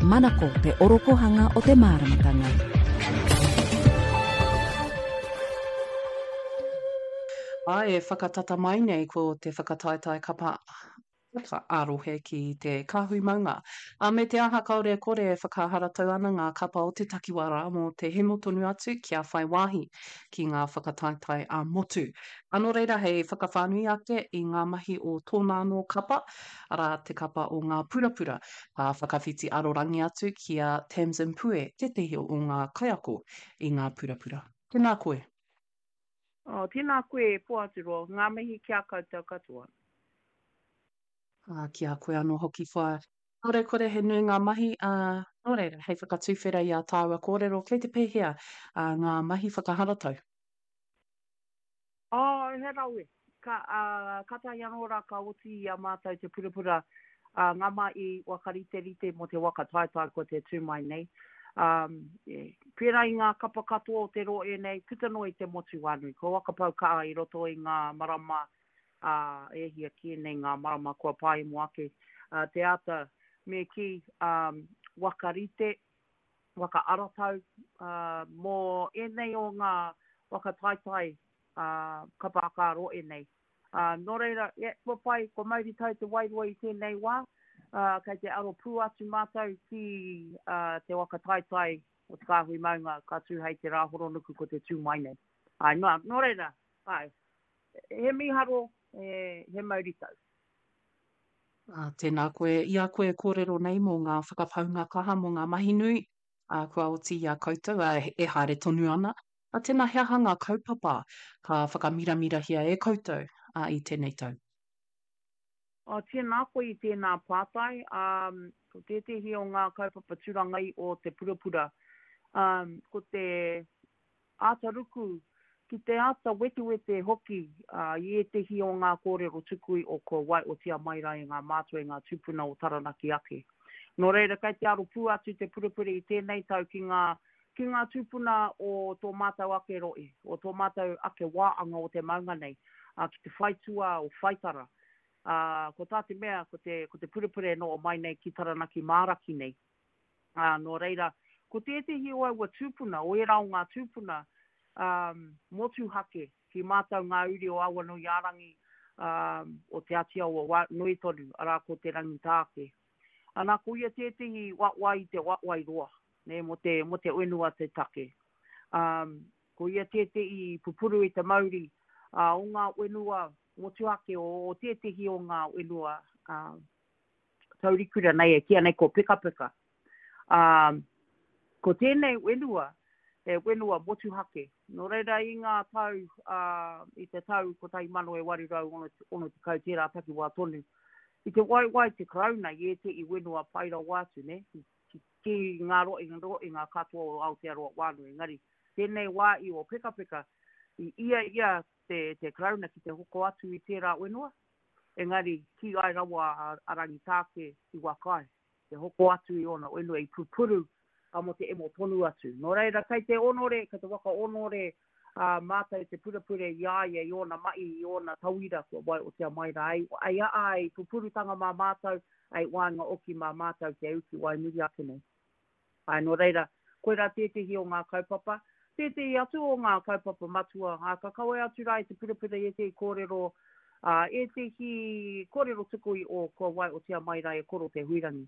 Manako te orokohanga o te māramatanga. Ā, e whakatata mai nei ko te whakataetae kapa haka ā-rohe ki te Kāhui Maunga. Ā, me te aha kāore e kore e whakaharatau ana ngā kapa o te takiwā rā mō te hemo tonu atu kia whai wāhi ki ngā whakataetae ā-motu. Ā, nō reira hei whakawhānui ake i ngā mahi o tōna anō kapa, arā, te kapa o Ngā Purapura, ka whakawhiti arorangi atu ki a Tamsin Pue, tētehi o ngā kaiako i Ngā Purapura. Tēnā koe. Oh, tēnā koe e Poaturoa, ngā mihi ki a koutou katoa. Ā, ki a koe anō hoki whaea. Kāore kore he nui ngā mahi, ā, nō reira, hei whakatuwhera i ā tāua kōrero, kei te pēhea, ā, ngā mahi whakaharatau? Oh, he rawe. Ka, ā, kātahi anō rā ka oti i a mātou te purapura, ā, ngā mahi whakariterite mō te waka taetae kua te tū mai nei. Ā, e, pērā i ngā kapa katoa o te rohe nei, puta noa i te motu whānui, kua whakapau kaha i roto i ngā marama, ā, e hia kē nei ngā marama kua pāemo ake, ā, te āta, me kī, ā, whakarite, waka aratau, ā, mō ēnei o ngā waka taetae, ā, kapa haka rohe nei. Ā, nō reira, yeah, kua pai, kua mauritau te wairua i tēnei wā, ā, kei te aro pū atu mātou ki, ā, te waka taetae o Te Kāhui Maunga ka tū hei te Rāhoronuku ko te tū mai nei. Āe, nō, nō reira, āe, he mīharo, he, he mauritau. Ā, tēnā koe, i a koe e kōrero nei mō ngā whakapaunga kaha, mō ngā mahi nui, ā, kua oti i a koutou, ā, e haere tonu ana. Ā, tēnā, he aha ngā kaupapa ka whakamiramirahia e koutou, ā, i tēnei tau? Ā, tēnā koe i tēnā pātai. Ā, ko tētehi o ngā kaupapa tūrangai o te purapura, ā, ko te āta ruku, ki te āta wetewete hoki i ētehi o ngā kōrero tukui o kua waiotia mai rā e ngā mātua e ngā tūpuna o Taranaki ake. Nō reira, kei te aro pū atu te purepure i tēnei tau ki ngā, ki ngā tūpuna o tō mātou ake rohe, o tō mātou ake wāanga o te maunga nei, ā, ki te whaitua o Whaitara. Ā, ko tā te mea, ko te, ko te purepure e noho mai nei ki Taranaki māraki nei. Ā, nō reira, ko tētehi o aua tūpuna, o ērā o ngā tūpuna, ā, motuhake ki mātou ngā uri o Awanuiārangi, ā, o Te Ati Awa wā, nui tonu, arā, ko Te Rangitāke. Ana, ko ia tētehi wawai i te wawai roa, nē, mō te, mō te whenua te take. Ā, ko ia tētehi pupuru i te mauri, ā, o ngā whenua motuhake o, o tētehi o ngā whenua, ā, taurikura nei e kīia nei ko Pekapeka. Ā, ko tēnei whenua, he whenua motuhake. Nō reira i ngā tau, ā, i te tau 1860 tērā takiwā tonu, i te waiwai te Karauna i ētehi whenua pai rawa atu, nē, ki, ki ngā rohenga katoa o Aotearoa whānui. Engari, tēnei wā i o Pekapeka, i ia ia te, te Karauna ki te hoko atu i tērā whenua, Engari, kīhai rawa a Rangitāke i whakaae te hoko atu i ōna whenua i pupuru mō te emo tonu atu. Nō reira, kei te onore, kei te whakaonore mātou te purapure i a ia, i ōna mahi, i ōna tauira kua waiotia mai rā. Ei a ai pupurutanga mā mātou, ei waenga oki mā mātou kia uki wai muri ake nei. Āe, nō reira, koirā tētehi o ngā kaupapa. Tētehi atu o ngā kaupapa matua, ā, ka kawe atu rā i te purapura i ētehi kōrero, ā, ētehi kōrero tuku i o kua waiotia mai rā e Koro Te Huirangi.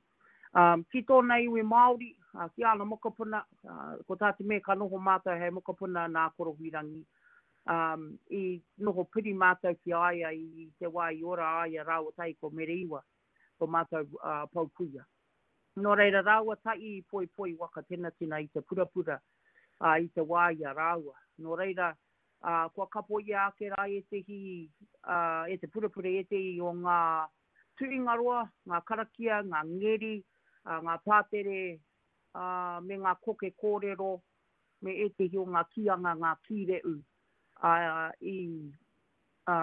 Ā, ki tōna iwi Māori, ā, ki āna mokopuna, ā, ko tā te mea ka noho mātou hei mokopuna nā Koro Huirangi, ā, i noho piri mātou ki a ia i te wā i ora a ia rāua tahi ko Mere Iwa, tō mātou, ā, pou kuia. Nō reira rāua tahi i poipoi waka tenatina i te purapura, ā, i te wā i a rāua. Nō reira, ā, kua kapoia ake rā ētehi, ā, e te purapura ētehi o ngā tuhinga roa, ngā karakia, ngā ngeri, ā, ngā pātere, ā, me ngā koke kōrero, me ētehi o ngā kīanga, ngā kīreū, ā, i, ā,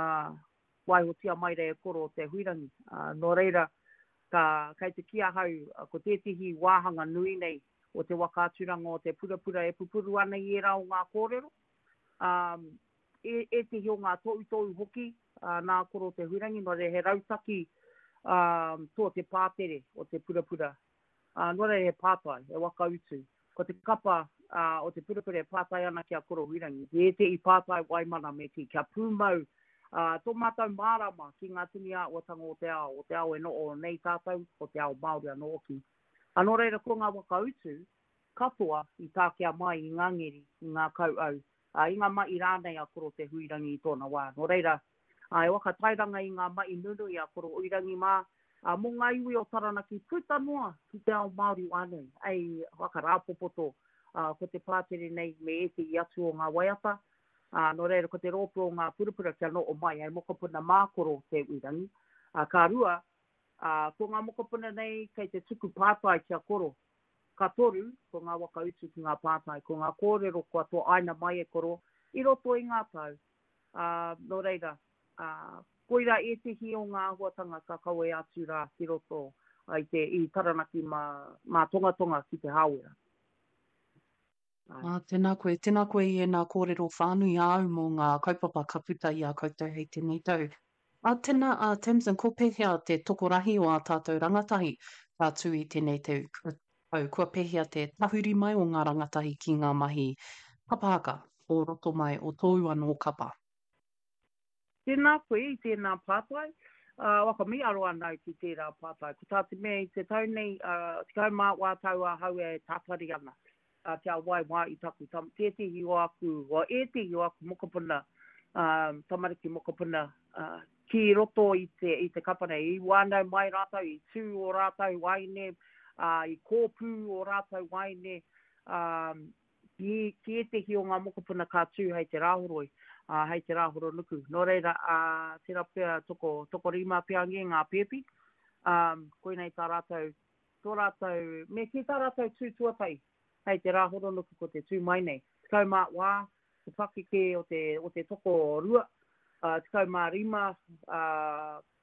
waihotia mai rā e Koro Te Huirangi. Ā, nō reira, ka, kei te kī ahau, ko tētehi wāhanga nui nei o te waka aturanga o te purapura e pupuru ana i ērā o ngā kōrero, ā, e, ētehi o ngā tohutohu hoki, ā, nā Koro Te Huirangi, nō reira he rautaki, ā, tō te pātere o te purapura. Ā, nō reira he pātai, he waka utu. Ko te kapa o te purapura e pātai ana ki a Koro Huirangi, ki ētehi pātai waimana me kī, kia pūmau tō mātou mārama ki ngā tini āhuatanga o te ao, o te ao e noho nei tātou, o te ao Māori anō hoki. Ā, nō reira ko ngā waka utu katoa i takea mai i ngā ngeri, i ngā kauau, ā, i ngā mahi rānei a Koro Te Huirangi i tōna wā. Nō reira, ā, e whakatairanga i ngā mahi nunui a Koro Huirangi mā, ā, mō ngā iwi o Taranaki puta noa ki te ao Māori whānui, hei whakarāpopoto, ā, ko te pātere nei me ētehi atu o ngā waiata, ā, nō reira ko te rōpū o ngā purapura kia noho mai hei mokopuna mā Koro Te Huirangi, ā, ka rua, ā, ko ngā mokopuna nei kei te tuku pātai ki a Koro, Ka toru, ko ngā waka utu ki ngā pātai, ko ngā kōrero kua toaina mai e Koro i roto i ngā tau, ā, nō reira, ā, koirā ētehi o ngā āhuatanga ka kawea atu rā ki roto i te, i Taranaki mā, mā Tongatonga ki Te Hāwera. Āe. Ā, tēnā koe, tēnā koe i ēnā kōrero whānui āu mō ngā kaupapa ka puta i a koutou hei tēnei tau. Ā, tēnā, ā, Tamsin, ko pēhea te tokorahi o ā tātou rangatahi ka tū i tēnei tau, tau, kua pēhea te tahuri mai o ngā rangatahi ki ngā mahi kapa haka o roto mai o tōu anō kapa? Tēnā koe i tēnā pātai. Ā, whakamīharo ana au ki tērā pātai. Ko tā te mea i te tau nei, ā, 14 tau ahau e tatari ana, ā, kia waewae i taku tama, tētehi o aku, o ētehi o aku mokopuna, ā, tamariki mokopuna, ā, ki roto i te, i te kapa nei. I whānau mai rātou, i tū ō rātou wāhine, ā, i kōpū ō rātou wāhine, ā, ki, ki ētehi o ngā mokopuna ka tū hei te Rāhoroi, ā, hei te Rāhoronuku. Nō reira, ā, tērā pea toko, tokorima pea ngē ngā pēpi, ā, koinei tā rātou, tō rātou, me kī tā rātou tū tuatahi hei te Rāhoronuku ko te tū mai nei. 14 te pakeke o te, o te tokorua, ā, 15, ā,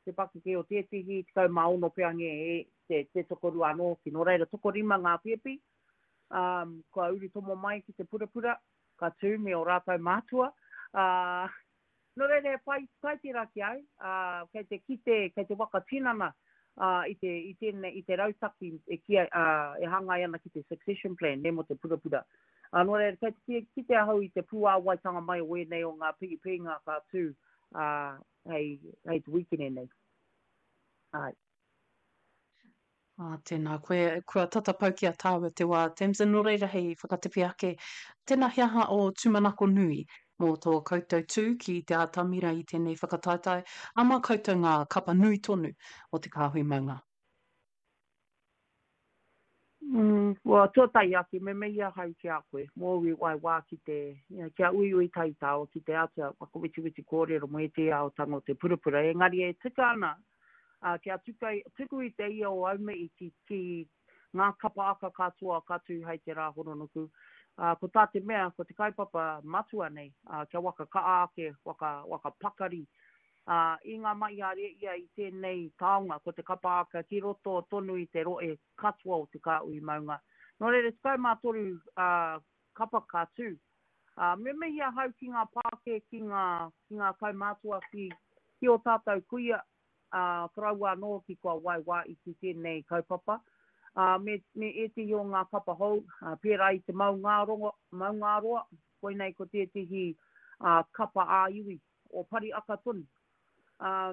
te pakeke o tētehi, 16 pea ngē te, te tokorua anō hoki. Nō reira, tokorima ngā pēpi, ā, kua uru tomo mai ki te purapura, ka tū me ō rātou mātua, ā, nō reira he pai, pai tērā ki au, ā, kei te kite, kei te waka tinana, ā, i te, i tēnei, i te rautaki e kīia, ā, e hāngai ana ki te succession plan, nē, mō te purapura. Ā, nō reira, kei te kite ahau i te pūāwaitanga mai o ēnei o ngā pīpīnga ka tū, ā, hei, hei te wīkene nei. Āe. Ā, tēnā koe. Kua tata pau ki a tāua te wā, Tamsin, nō reira hei whakatepe ake, tēnā he aha ō tūmanako nui mō tō koutou tū ki te atamira i tēnei whakataetae, ā, mā koutou ngā kapa nui tonu o te Kāhui Maunga? Mm, well, tuatahi ake, me mihi ahau ki a koe, mōu i wai wā ki te, you know, kia uiui tahi tāua ki te āta whakawetiweti kōrero mō ētehi āhuatanga o te purapura, engari e tika ana, ā, kia tuka, tuku i te ia o Aumihi ki, ki ngā kapa aka katoa ka tū hei te rā horonuku. Ā, ko tā te mea, ko te kaupapa matua nei, ā, kia waka kaha ake, waka, waka pakari, ā, i ngā mahi a Rēhia i tēnei taonga, ko te kapa aka ki roto tonu i te rohe katoa o Te Kāhui Maunga. Nō reira, 13, ā, kapa ka tū. Ā, me mihi ahau ki ngā pākē, ki ngā, ki ngā kaumātua, ki, ki ō tātou kuia, ā, koroua anō hoki kua waewae ki tēnei kaupapa, ā, me, me ētehi o ngā kapa hou, ā, pērā i te Maungārongo, Maungāroa, koinei ko tētehi, ā, kapa ā-iwi o Pariaka tonu. Ā,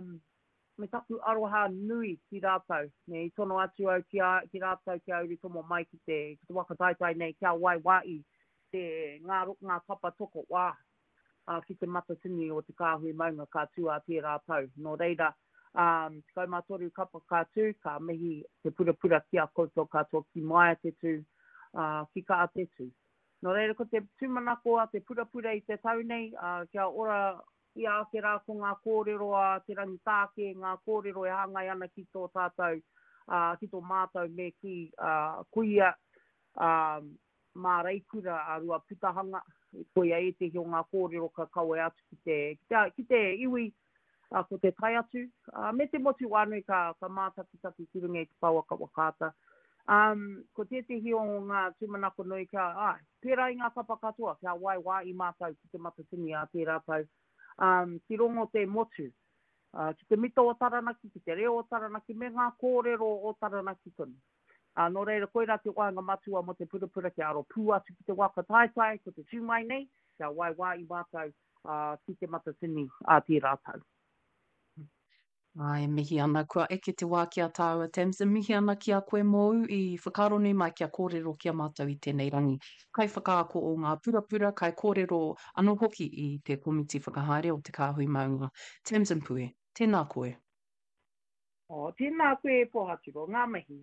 me taku aroha nui ki rātou, me i tono atu au ki a, ki rātou kia urutomo mai ki te, ki te waka taetae nei, kia waewae te, ngā, ngā kapa toko wā, ā, ki te matatini o te kāhui maunga ka tū ā tērā tau. Nō reira, ā, 13 kapa ka tū, ka mihi te purapura ki a koutou katoa ki maia te tū, ā, ki kaha te tū. Nō reira, ko te tūmanako a te purapura i te tau nei, ā, kia ora I a ake rā ko ngā kōrero a Te Rangitāke, ngā kōrero e hāngai ana ki tō tātou, ā, ki tō mātou me kī, ā, kuia, ā, māreikura a Ruaputahanga, koia ētehi o ngā kōrero ka kawe atu ki te, ki te, ki te iwi, ā, ko te tae atu, ā, me te motu whānui ka, ka mātakitaki ki runga i te pouaka whakaata. Ā, ko tētehi o ngā tūmanako nui kia, āe, Pērā i ngā kapa katoa, kia waewae i mātou ki Te Matatini ā tērā tau, ā, ki rongo te motu, ā, ki te mita o Taranaki, ki te reo o Taranaki, me ngā kōrero o Taranaki tonu. Ā, nō reira, koirā te wāhanga matua mō te purapura kia aro pū atu ki te waka taetae, ko te tū mai nei, kia waewae i mātou, ā, ki Te Matatini ā tērā tau. Ā, e mihi ana, kua eke te wā ki a tāua, Tamsin, mihi ana ki a koe mōu i whakaaro nui mai kia kōrero ki a mātou i tēnei rangi. Kaiwhakaako o ngā purapura, kaikōrero anō hoki i te komiti whakahaere o Te Kāhui Maunga. Tamsin Pue, tēnā koe. Oh, tēnā koe e Pōhatiro, ngā mihi.